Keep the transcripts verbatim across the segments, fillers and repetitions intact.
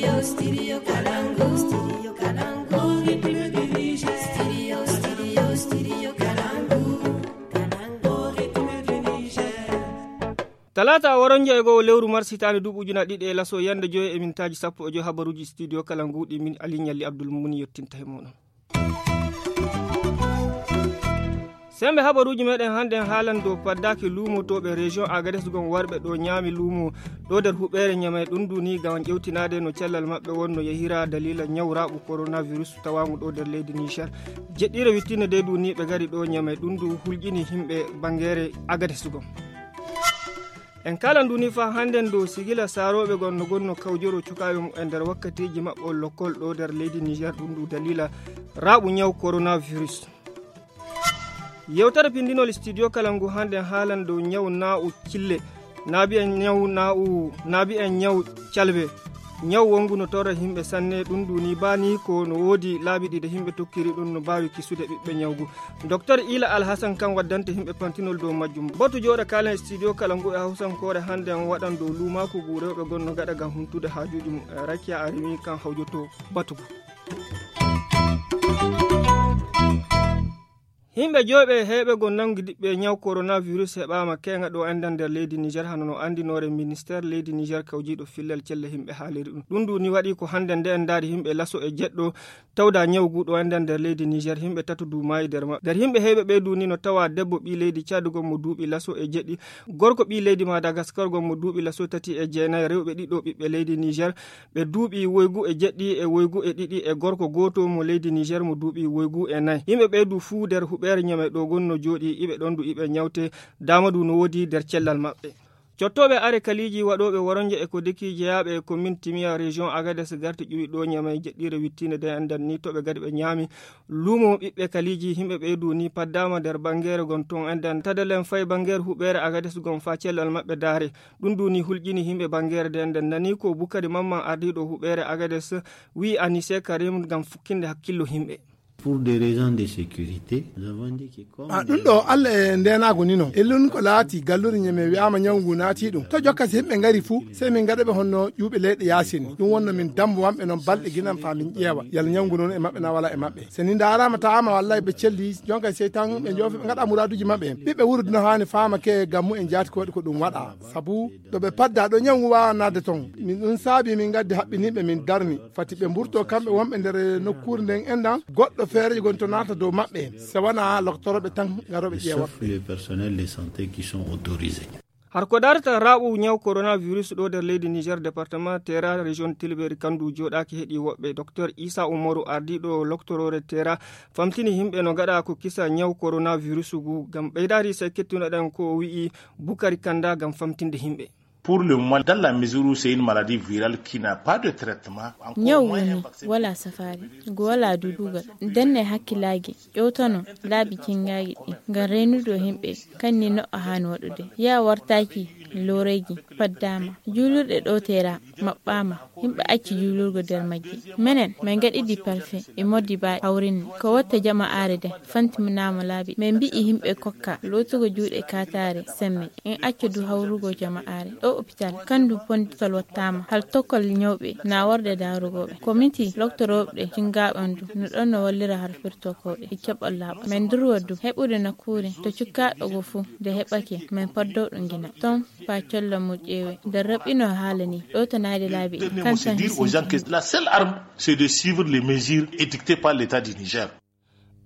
Studio, studio Kalangu, studio Kalangu, studio, studio, studio Kalangu, Kalangu, talata waronja e go lewru mars hitande dubu juna ɗiɗi e laso yande joyi e mintaji sappo e joyi habaruji studio Kalangu ɗi min Ali Nyalli Abdul Muni yettinta he moɗon. sembe habaruji meɗen hande haalan dow paddaki lumotoɓe région Agadez gon warɓe ɗo ñaami lumo ɗo nder huɓere ñamay ɗum duni gam ƴewtinade no cellal mabɓe wonno yehira dalila ñawraɓu coronavirus tawamu ɗo nder leydi Niger. jeɗɗire wittine de duni ɓe gari ɗo ñamay ɗum du hulƴini himɓe bangere Agadez gon. en kala nduni fa handen dow sigila saroɓe gonno gonno kawjoro cukaɓe mu e nder wakkatiji maɓɓe lokkol ɗo nder leydi Niger ɗum du dalila raɓu ñaw coronavirus. yewtere pindinol studio Kalangu hande haalan dow ñaw na'u cille naabi en ñaw na'u naabi en ñaw calbe ñaw wongu no torra himɓe sanne ɗum duni bani ko no wodi laabi ɗiɗi himɓe tokkiri ɗum no bawi kisude ɓiɓɓe ñawgu. docteur Ila Alhassan kan waddante himɓe pantinol dow majjum. botu joɗa kalen studio Kalangu e hawsankore hande en waɗan dow lumaku gu rewɓe gonno gaɗa gam humtude hajuji mum. Rakia Arimi kan hawjoto batugo. himɓe joyɓe heɓe gon nangi diɓɓe ñaw coronavirus heɓama kenga ɗo endan nder leydi Niger hano no andinore ministére leydi Niger kawjiɗo fillal celle himɓe haaliri ɗum ɗum duni waɗi ko hande nde en daari himɓe laso e jeɗɗo tawda ñawgu ɗo endan nder leydi Niger himɓe tatu dumayi nder ma nder himɓe heɓe ɓe duni no tawa debbo ɓi leydi Tchad gon mo duuɓi laso e jeɗɗi gorko ɓi leydi Madagascar gon mo duuɓi laso tati e jeenayi rewɓe ɗiɗo ɓiɓɓe leydi Niger ɓe duuɓi woygu e jeɗɗi e woygu e ɗiɗi e gorko goto mo leydi Niger mo duuɓi woygu e nayyi himɓe ɓe du fuu nder huɓere ñame ɗo gonno jooɗi iɓe ɗon du iɓe ñawte damadu no wodi nder cellal maɓɓe. cottoɓe are kaliji waɗoɓe woronje e ko deki jeyaɓe e commune Timia région Agadez garti ƴuwi ɗo ñamay jeɗɗire wittine de andan ni toɓe gadi ɓe ñaami lumo ɓiɓɓe kaliji himɓe ɓeydu ni paddama nder bangere gon ton andan tadalen fay bangere huɓere Agadez gon fa cellal maɓɓe daare ɗum duni hulƴini himɓe bangere de andan nani ko Bukari Mamman ardiɗo huɓere Agadez wi Anissé Karim gam fukkinde hakkillo himɓe. Pour des raisons de sécurité, nous avons dit que comme a ɗum ɗo Allah e ndenago ni no ellun ko laati galluri ñeme wi'ama ñawgu naati ɗum to jokkasi himɓe ngari fuu sey min gaɗaɓe honno ƴuuɓe leyɗe yasini ɗum wonno min dambo wamɓe noon balɗe guinan fa min ƴeewa yalla ñawgu noon e maɓɓe na wala e maɓɓe so ni darama tawama wallahi ɓe celli jonka sey tan ɓe joofi ɓe gaɗa muraduji maɓɓe ɓiɓɓe wuuro no hani fama ke gammu en jaati ko waɗi ko ɗum waɗa saabu ɗo ɓe padda ɗo ñawgu wawa nadde ton min ɗum saabi min gaddi haɓɓiniɓe min darni fati ɓe mburto kamɓe wonɓe nder nokkure nden endan goɗɗo feereji gon to nata dow maɓɓe so wona loktoroɓe tan garoɓe ƴeewa les personnels de santé qui sont autorisés. har ko darata raɓu ñaw coronavirus ɗo nder leydi Niger département Terra région Tilberi kandu joɗaki heeɗi woɓɓe docteur Issa Umaru ardiɗo loctorore Terra famtini himɓe no gaɗa ko kisa ñaw coronavirus gu gam ɓeydari se kettunoɗen ko wi'i Bukari Kanda gam famtinde himɓe. Pour le moment, dans la mesure où c'est une maladie virale qui n'a pas de traitement, ñaw woni wala safari go wala dudugal denne hakkilagi ƴewtano laabi kingaji ɗi ngam reynudo himɓe kanni no a hani waɗude ya wartaki loreji faddama julurɗe ɗo Tera maɓɓama himɓe acci julurgo nder majji menen min gaɗiɗi parfait e moddi ba hawrinni ko watta jama'are de fantiminama laabi min mbi'i himɓe kokka lotugo juuɗe katare sembe en acca du hawrugo jama'are ɗo hôpital kandu ponditol wattama hal tokkol ñawɓe na warde darugoɓe comité loktoroɓe cingaɓandu no ɗon no wallira har firtokoɓe e keɓol laaɓa min durwaddu heɓude nakkure to cukkaɗo go fuu de heɓake min paddowɗo gina ton fa collo mo ƴeewe nde raɓɓino haala ni ɗo to naade laabi kan tan la seule arme c'est de suivre les mesures édictées par l'état du Niger.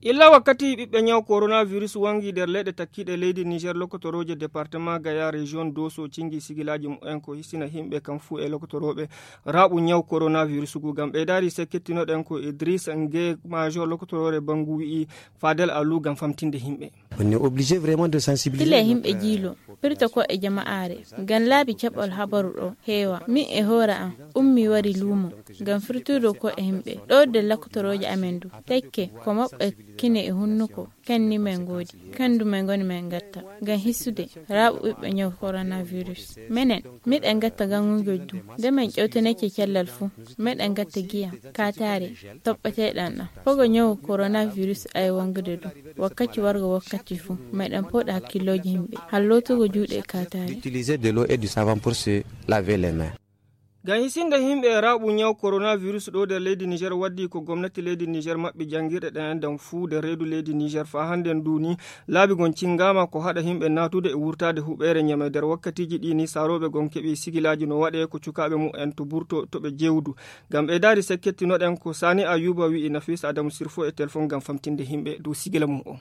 illa wakkati ɓiɓɓe ñaw coronavirus wangi nder leyɗe takkiɗe leydi Niger lokotoroje département Gaya région Doso cingi sigilaji mumen ko hissina himɓe kam fuu e lokotoroɓe raɓu ñaw coronavirus gu gam ɓeydari se kettinoɗen ko Idriss Ngue major lokotorore Bangu wi'i Fadel Alou gam famtinde himɓe. On est obligé vraiment de sensibiliser. Tile himɓe jiilo pirta ko e jama'are gan laabi keɓol habaru ɗo heewa min e hoora am ummi wari luumo gam firtudo ko e himɓe ɗo de lokotoroje amen du tekke ko maɓɓe kine e hunnuko kanni men godi kandu men goni men gatta gan hissude raɓu ɓiɓɓe ñaw coronavirus menen miɗen gatta gangugo du nde men ƴewteneke cellal fuu meɗen gatta giya katare toɓɓeteɗan ɗam fogo ñaw coronavirus ay wangude du wakkati wargo wakkati fuu meɗen poɗa hakkiloji himɓe hallotugo juuɗe katare utiliser de l'eau et du savon pour se laver les mains. Gan hisinde himɓe raɓu nyaw coronavirus ɗo nder leydi Niger waddi ko gomnati leydi Niger maɓɓi jangirɗe ɗen dan fuu nder reedu leydi Niger fa handen duni laabi gon cingama ko haɗa himɓe natude e wurtade huɓere nyame nder wakkatiji ɗi ni saroɓe gon keɓi sigilaji no waɗe ko cukaɓe mu'en to burto to ɓe jewdu gam ɓe daari sekkettinoɗen ko Sani Ayuba wi'i Nafis Adamu Sirfo e téléphone gam famtinde himɓe dow sigila mum o.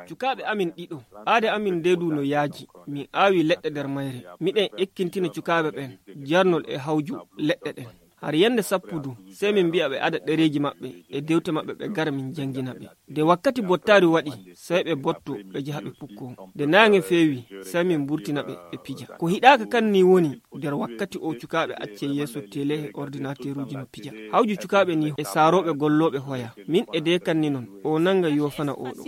Cukaɓe amin ɗiɗo aade amin ndedu no yaaji min aawi leɗɗe nder mayre miɗen ekkintina cukaɓe ɓen jarnol e hawju leɗɗe ɗen har yande sappudu sey min mbi'a ɓe ada ɗereji maɓɓe e dewte maɓɓe ɓe gara min jangina ɓe de wakkati bottari waɗi sey ɓe botto ɓe jaha ɓe pukko de naange feewi sey min burtina ɓe ɓe pija ko hiɗaka kan ni woni nder wakkati o cukaɓe acce yeeso télé e ordinateur uji no pija hawju cukaɓe ni e saaroɓe golloɓe hoya min e de kan ni non o nanga yofana oɗo.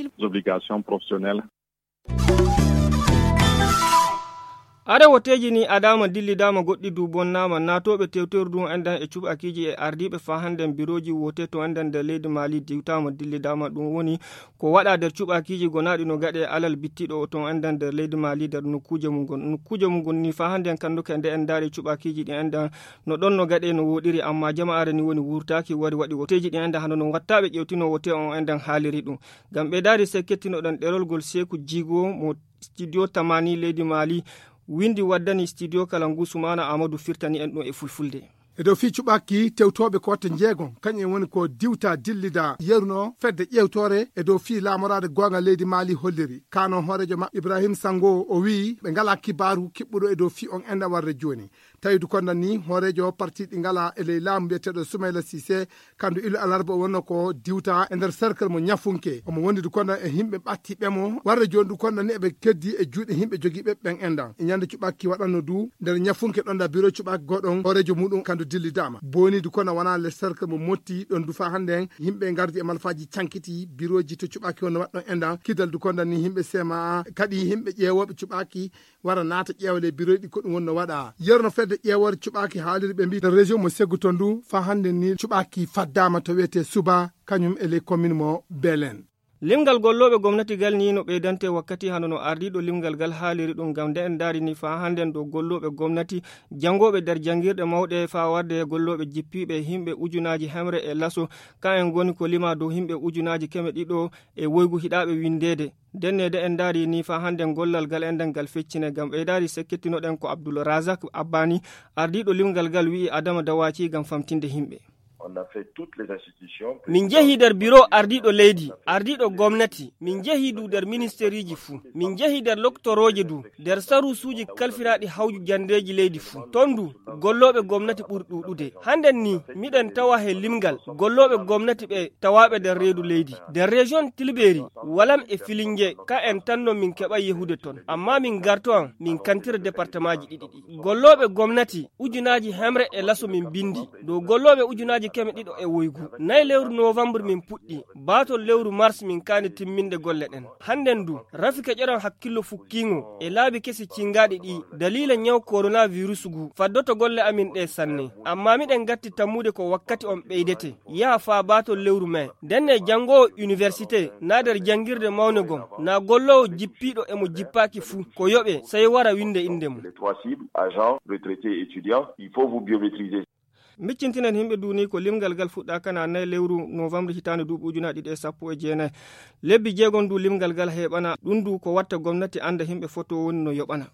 Ada woteji ni adama dillidama goɗɗi du bonnama natoɓe tewterdu endan e cuɓakiji e ardiɓe fa handen biroji wote to endan nder leydi Mali diwtama dillidama ɗum woni ko waɗa nder cuɓakiji gonaɗi no gaɗe alal bittiɗo to endan nder leydi Mali nder nokkuje mum gon nokkuje mum gon ni fa handen kanduka nde en daari cuɓakiji ɗi endan no ɗon no gaɗe no woɗiri amma jama'are ni woni wurtaki wari waɗi woteji ɗi endan hano no wattaɓe ƴewtino wote on endan haaliri ɗum gam ɓe daari sekketinoɗen ɗerol gol Seku Jigo mo studio tamani leydi Mali windi waddani studio Kalangu Sumana Amadou firtani en ɗum e fulfulde. e dow fii cuɓaki tewtoɓe ko watta jeegon kañum woni ko diwta dillida yeruno fedde ƴewtore e dow fii laamorade gonga leydi Mali holliri kanon hoorejo maɓɓe Ibrahim Sango o wi ɓe ngala kibaru kiɓɓuɗo e dow fii on enda warde joni tawidu kondan ni hoorejo parti ɗi ngala e ley laamu mbiyeteɗo Soumaïla Cissé kandu ilu alarba wonno ko diwta e nder cercle mo ñafunke omo wondidu kondan e himɓe ɓatti ɓemo warde joni du kondan ni eɓe keddi e juuɗe himɓe jogiiɓe ɓen endan e ñande cuɓaki waɗanno du nder ñafunke ɗon da bureau cuɓaki goɗon hoorejo muɗum kandu dillidama boni du kono wana le cercle mo motti ɗon du fa hande himɓe gardi e malfaji cankiti biroji to cuɓaki wonno waɗɗon endan kidal du kondan ni himɓe sema kadi himɓe ƴeewoɓe cuɓaki wara naata ƴeewale bureau ɗi ko ɗum wonno waɗa yerno fedde ƴeewore cuɓaki haaliri ɓe mbi région mo Ségu ton du fa hande ni cuɓaki faddama to wiyete Suba kañum e les commune mo Belen. Limgal golloɓe gomnati gal ni no ɓeydante wakkati hano no ardiɗo limgal gal haaliri ɗum gam nde en daari ni fa handen ɗo golloɓe gomnati jangoɓe nder jangirɗe mawɗe fa warde golloɓe jippiɓe himɓe ujunaji hemre e laso ka en goni ko lima dow himɓe ujunaji keme ɗiɗo e woygu hiɗaɓe windede dennede en daari ni fa handen gollal gal endan gal feccine gam ɓe daari sekketinoɗen ko Abdoul Razak Abbani ardiɗo limgal gal wi'i Adama Dawaci gam famtinde himɓe. min jehi nder bureau ardiɗo leydi ardiɗo gomnati min jehi du nder ministére ji fuu min jehi nder loctoroje du nder sarusuji kalfiraɗi hawju jandeji leydi fuu ton du golloɓe gomnati ɓuri ɗuɗude hannden ni miɗen tawa he limgal golloɓe gomnati ɓe tawaɓe nder reedu leydi nder région Tilberi walam e Filingue ka en tanno min keɓa yehude ton amma min garto an min kantira département ji ɗiɗi ɗi golloɓe gomnati ujunaji hemre e laso min bindi dow golloɓe ujunaji keme ɗiɗo e woygu nayi lewru novembre min puɗɗi batol lewru mars min kani timminde golle ɗen hannden du rafika ƴeran hakkillo fukkingo e laabi kesi cingaɗi ɗi dalila nyaw coronavirus gu faddoto golle amin ɗe sanne amma miɗen gatti tammude ko wakkati on ɓeydete yaha fa batol lewru mai denne jangowo université na nder jangirde mawne gon na gollowo jippiɗo emo jippaki fuu ko yoɓe sey wara winde inde mum. miccintinen himɓe duni ko limgal gal fuɗɗa kana nayi lewru novembre hitande duuɓi ujunaɗe ɗiɗi e sappo e jeenayi lebbi jeegon du limgal gal heɓana ɗum du ko watta gomnati anda himɓe foto woni no yoɓana.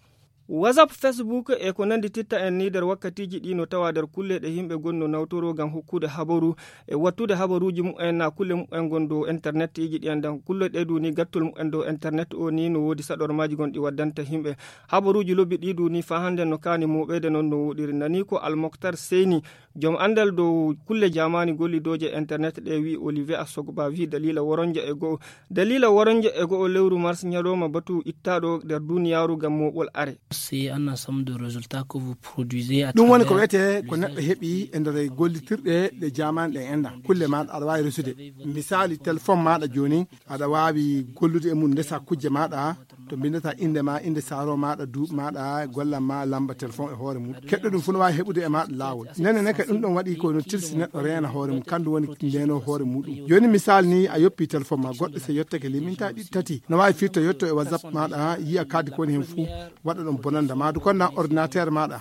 WhatsApp, Facebook e ko nandi titta en ni nder wakkatiji ɗi no tawa nder kulle ɗe himɓe gonno nawtoro gam hokkude habaru e wattude habaruji mu'en na kulle mu'en gon dow internet iji ɗi andan kulle ɗe du ni gattol mu'en dow internet o ni no wodi saɗormaji gon ɗi waddanta himɓe habaruji lobbi ɗi du ni fa hande no kani muɓede non no woɗiri nani ko Almoktar Seyni joom andal dow kulle jamani gollidoje internet ɗe wi Olivier Asogba wi dalila woronja e go'o dalila woronja e go'o lewru mars ñalowma batu ittaɗo nder duniyaru gam moɓol are. C'est un ensemble de résultats que vous produisez à ɗum woni ko wiyete ko neɗɗo heeɓi e nder gollitirɗe ɗe jamani ɗe enda kulle maɗa aɗa wawi resude misali téléphone maɗa joni aɗa wawi gollude e mum ndesa kujje maɗa to bindata inde ma inde saro maɗa duuɓi maɗa gollam ma lamba téléphone e hoore mum keɗɗo ɗum fu no wawi heɓude e maɗa lawol nene ne ka ɗum ɗon waɗi ko no tirsi neɗɗo reena hoore mum kandu woni ndeno hoore muɗum joni misal ni a yoppi téléphone ma goɗɗo so yettake liminta ɗiɗi tati no wawi firto yetto e whatsapp maɗa yiya kaddi ko woni hen fuu waɗa ɗum bonanda ma du konnan ordinateur maɗa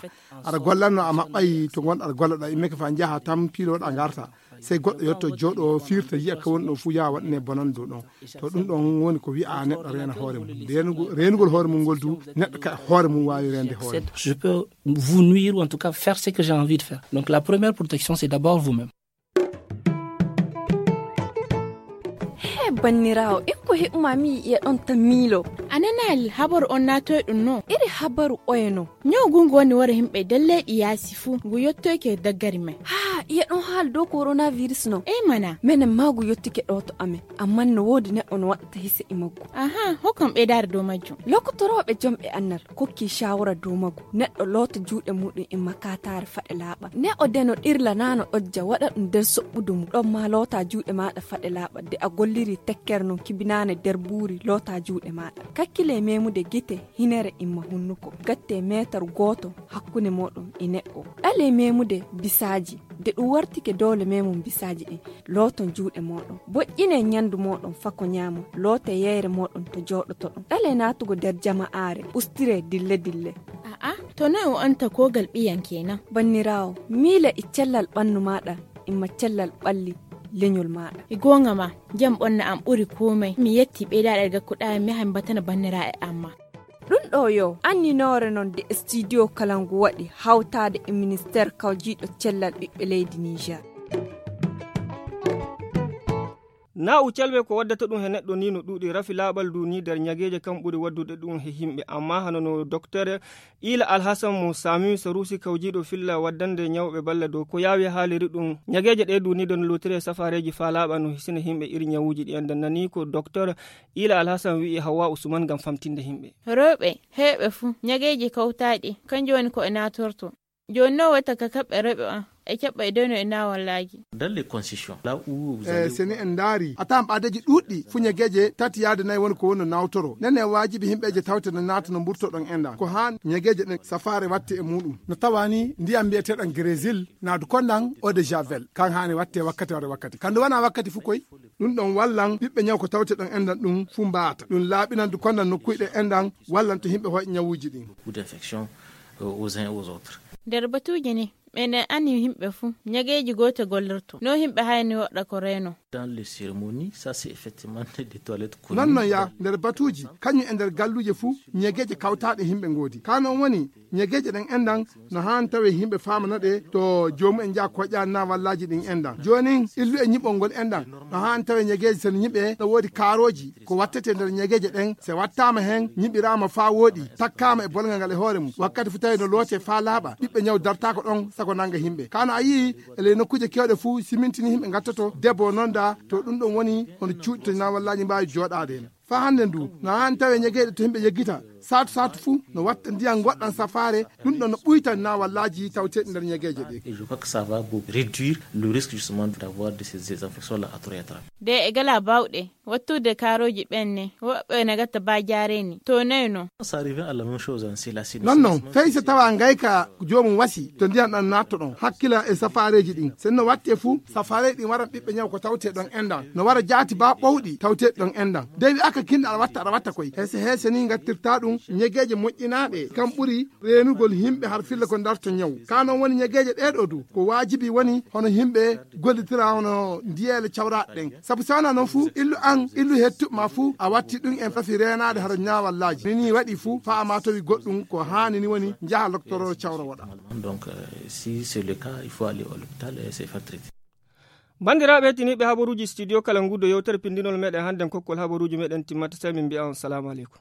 aɗa gollanno a maɓɓayi to gonɗo aɗa gollaɗa immeke fa jaaha tan piiloɗa garta sey goɗɗo yetto jooɗo firta yiya ko woni ɗo fuu yaha waɗane bonan dow ɗon to ɗum ɗon woni ko wi'a neɗɗo reena hoore mum renugol renugol hoore mum ngol du neɗɗo ka hoore mum wawi rende hoore. Je peux vous nuire ou en tout cas faire ce que j'ai envie de faire. Donc la première protection c'est d'abord vous-même. Bannirawo en ko heɓumami e ɗon tamilo ananal habaru on natoy ɗum no iri habaru oyeno ñawgungu woni wara himɓe dalleɗi yaasi fuu ngu yettoyke daggari men ha iya ɗon haal dow coronavirus no e mana minen ma ngu yettike ɗo to amen amma no woodi neɗɗo no waɗata hise e maggu aha hokkam ɓeydare dow majjum lokotoroɓe jomɓe annal kokki shawara dow maggu neɗɗo loota juuɗe muɗum e makatare faɗe laaɓa ne o deno ɗirla nano ɗojja waɗa ɗum nder soɓɓudu mum ɗon ma loota juuɗe maɗa faɗe laaɓa de a golliri tekkere no kibinane der buuri loota juuɗe maɗa kakkile memude gite hinere imma hunnuko gatte metar goto hakkunde moɗon e neɗɗo ɗale memude bisaji de ɗum wartike dole memum bisaji ɗin loton juuɗe moɗon boƴƴine ñandu moɗon fako ñaama loote yeyre moɗon to joɗoto ɗon ɗale natugo der jama'are ustire dille dille aa to noy o anta kogal ɓiyan kenan bannirawo miila e cellal ɓannu maɗa imma cellal ɓalli leñol maɗa e gonga ma jam ɓonna am ɓuri komai mi yetti ɓeydaɗe gakkuɗa mi han batana bannira e amma ɗum ɗo yo anninore noon de studio kalangu waɗi hawtade e ministére kawjiɗo cellal ɓiɓɓe leydi Niger. na u calɓe ko waddata ɗum he neɗɗo ni no ɗuuɗi rafi laaɓal du ni nder ñageje kam ɓuri waddude ɗum he himɓe amma hano no docteur ila alhasan mo sami sarusi kawjiɗo filla waddande ñawɓe balla dow ko yaawi haaliri ɗum ñageje ɗe du ni don lotire safareji fa laaɓa no hisina himɓe iri ñawuji ɗi enden nani ko docteur ila alhasan wi'i hawa usman gam famtinde himɓe rewɓe heɓe fuu ñageji kawtaɗi kanjum woni ko e natorto joni no watta ka kaɓɓe rewɓe an e keɓɓa e dono e nawallaaji dans les concessions là où vous eh, seni en daari a tawan ɓaadeji ɗuɗɗi fuñageje tati yaade nayi woni ko woni no nawtoro nene waajibi himɓeje tawte no naata no mburtoɗon enda ko han ñageje ɗen safare watte e muɗum no tawani ndiyam mbiyeteɗon grésil naadu konnan eau de javel kan hani watte wakkati ware wakkati kandu wana wakkati fu koy ɗum ɗon wallan ɓiɓɓe ñaw ko tawte ɗon endan ɗum fu mbaata ɗum laaɓinandu konnan nokkuyɗe endan wallan to himɓe hoye ñawuji ɗin ou d'infection aux uns et aux autres nder batuji ni menen anni himɓe fuu ñageji gote gollirto no himɓe hayni waɗa ko reno dans les cérémonies ça c'est effectivement des toilettes non non ya nder batuji kañum e nder galluje fuu ñageje kawtaɗe himɓe ngoodi kanon woni ñageje ɗen endan no han tawe himɓe famana ɗe to jomum en jaa koƴƴa na wallaji ɗin endan joni illu e ñiɓol ngol endan no han tawe ñageje sen ñiɓe ɗo woodi kaaroji ko wattete nder ñageje ɗen se wattama hen ñiɓirama fa woɗi takkama e bolgal ngal e hoore mum wakkati fu tawi no loote fa laaɓa ɓiɓɓe ñaw dartako ɗon sago nanga himɓe kano a yii ele nokkuje kewɗe fuu simintini himɓe gattoto debbo nonda to ɗum ɗon woni hono cuuɗi na wallaji mbawi joɗade hen fa hande ndu no han tawe ñagueɗe to himɓe yeggita satu satu fuu no watta ndiyam goɗɗan safare ɗum ɗon no ɓuytan na wallaji tawteɗe nder ñagueje ɗe et je crois que ça va réduire le risque justement d'avoir de ces infections là à tout rétra de e gala bawɗe wattude karoji ɓenne woɓɓe ne gatta ba jareni to nayno ça revient à la même chose en c'est la non non fay se tawa ngayka jomum wasi to ndiyam ɗan natto ɗon hakkila e safareji ɗin sen no watte fuu safare ɗin waran ɓiɓɓe ñaw ko tawte ɗon endan no wara jaati ba ɓowɗi tawte ɗon endan dewi aka kinɗa aɗa watta aɗa watta koy hese hese ni gattirta ɗum ñageje moƴƴinaɗe kam ɓuri renugol himɓe har filla ko darto ñaw kanon woni ñageje ɗeɗo du ko wajibi woni hono himɓe gollitira hono ndiyele cawraɗe ɗen saabu sawana noon fuu illu an illu hettuɓema fuu a watti ɗum en fafi renade hara ñawallaji nini waɗi fuu fa ama tawi goɗɗum ko hani ni woni jaaha docteur cawra waɗa donc euh, si c'est le cas il faut aller à l'hôpital et se faire traiter bandiraɓe tiniɓe habaruji studio kala ngudo yewtere pindinol meɗen handen kokkol habaruji meɗen timmata sai min mbiya on salamu aleykum.